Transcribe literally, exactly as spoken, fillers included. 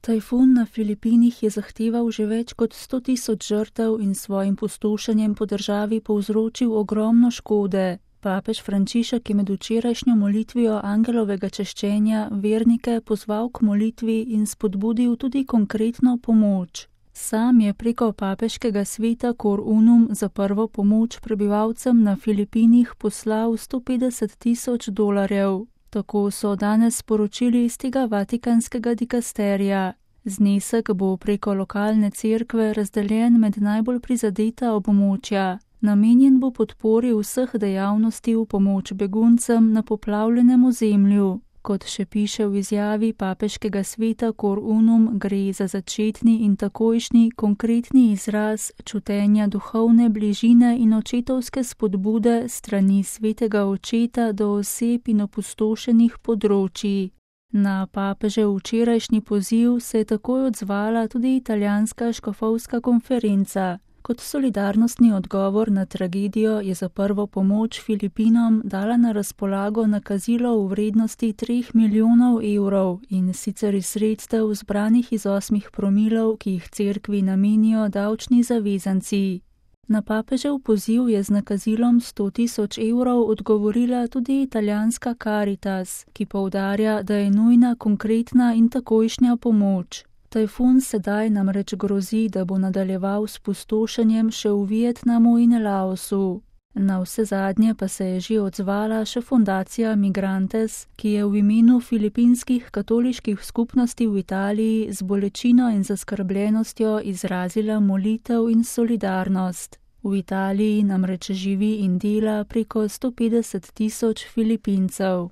Tajfun na Filipinih je zahteval že več kot sto tisoč žrtev in s svojim pustošenjem po državi povzročil ogromno škode. Papež Frančišek je med včerajšnjo molitvijo angelovega češčenja vernike pozval k molitvi in spodbudil tudi konkretno pomoč. Sam je preko papeškega sveta Cor Unum za prvo pomoč prebivalcem na Filipinih poslal sto petdeset tisoč dolarjev. Tako so danes sporočili iz tega vatikanskega dikasterija. Znesek bo preko lokalne cerkve razdeljen med najbolj prizadeta območja. Namenjen bo podpori vseh dejavnosti v pomoč beguncem na poplavljenem ozemlju. Kot še piše v izjavi papeškega sveta Cor Unum, gre za začetni in takojšnji konkretni izraz čutenja duhovne bližine in očetovske spodbude strani svetega očeta do oseb in opustošenih področij. Na papežev včerajšnji poziv se je takoj odzvala tudi italijanska škofovska konferenca. Kot solidarnostni odgovor na tragedijo je za prvo pomoč Filipinom dala na razpolago nakazilo v vrednosti treh milijonov evrov in sicer iz sredstev zbranih iz osmih promilov, ki jih cerkvi namenijo davčni zavezanci. Na papežev poziv je z nakazilom sto tisoč evrov odgovorila tudi italijanska Caritas, ki poudarja, da je nujna konkretna in takojšnja pomoč. Tajfun sedaj namreč grozi, da bo nadaljeval s pustošenjem še v Vietnamu in Laosu. Na vse zadnje pa se je že odzvala še fundacija Migrantes, ki je v imenu filipinskih katoliških skupnosti v Italiji z bolečino in zaskrbljenostjo izrazila molitev in solidarnost. V Italiji namreč živi in dela preko sto petdeset tisoč Filipincev.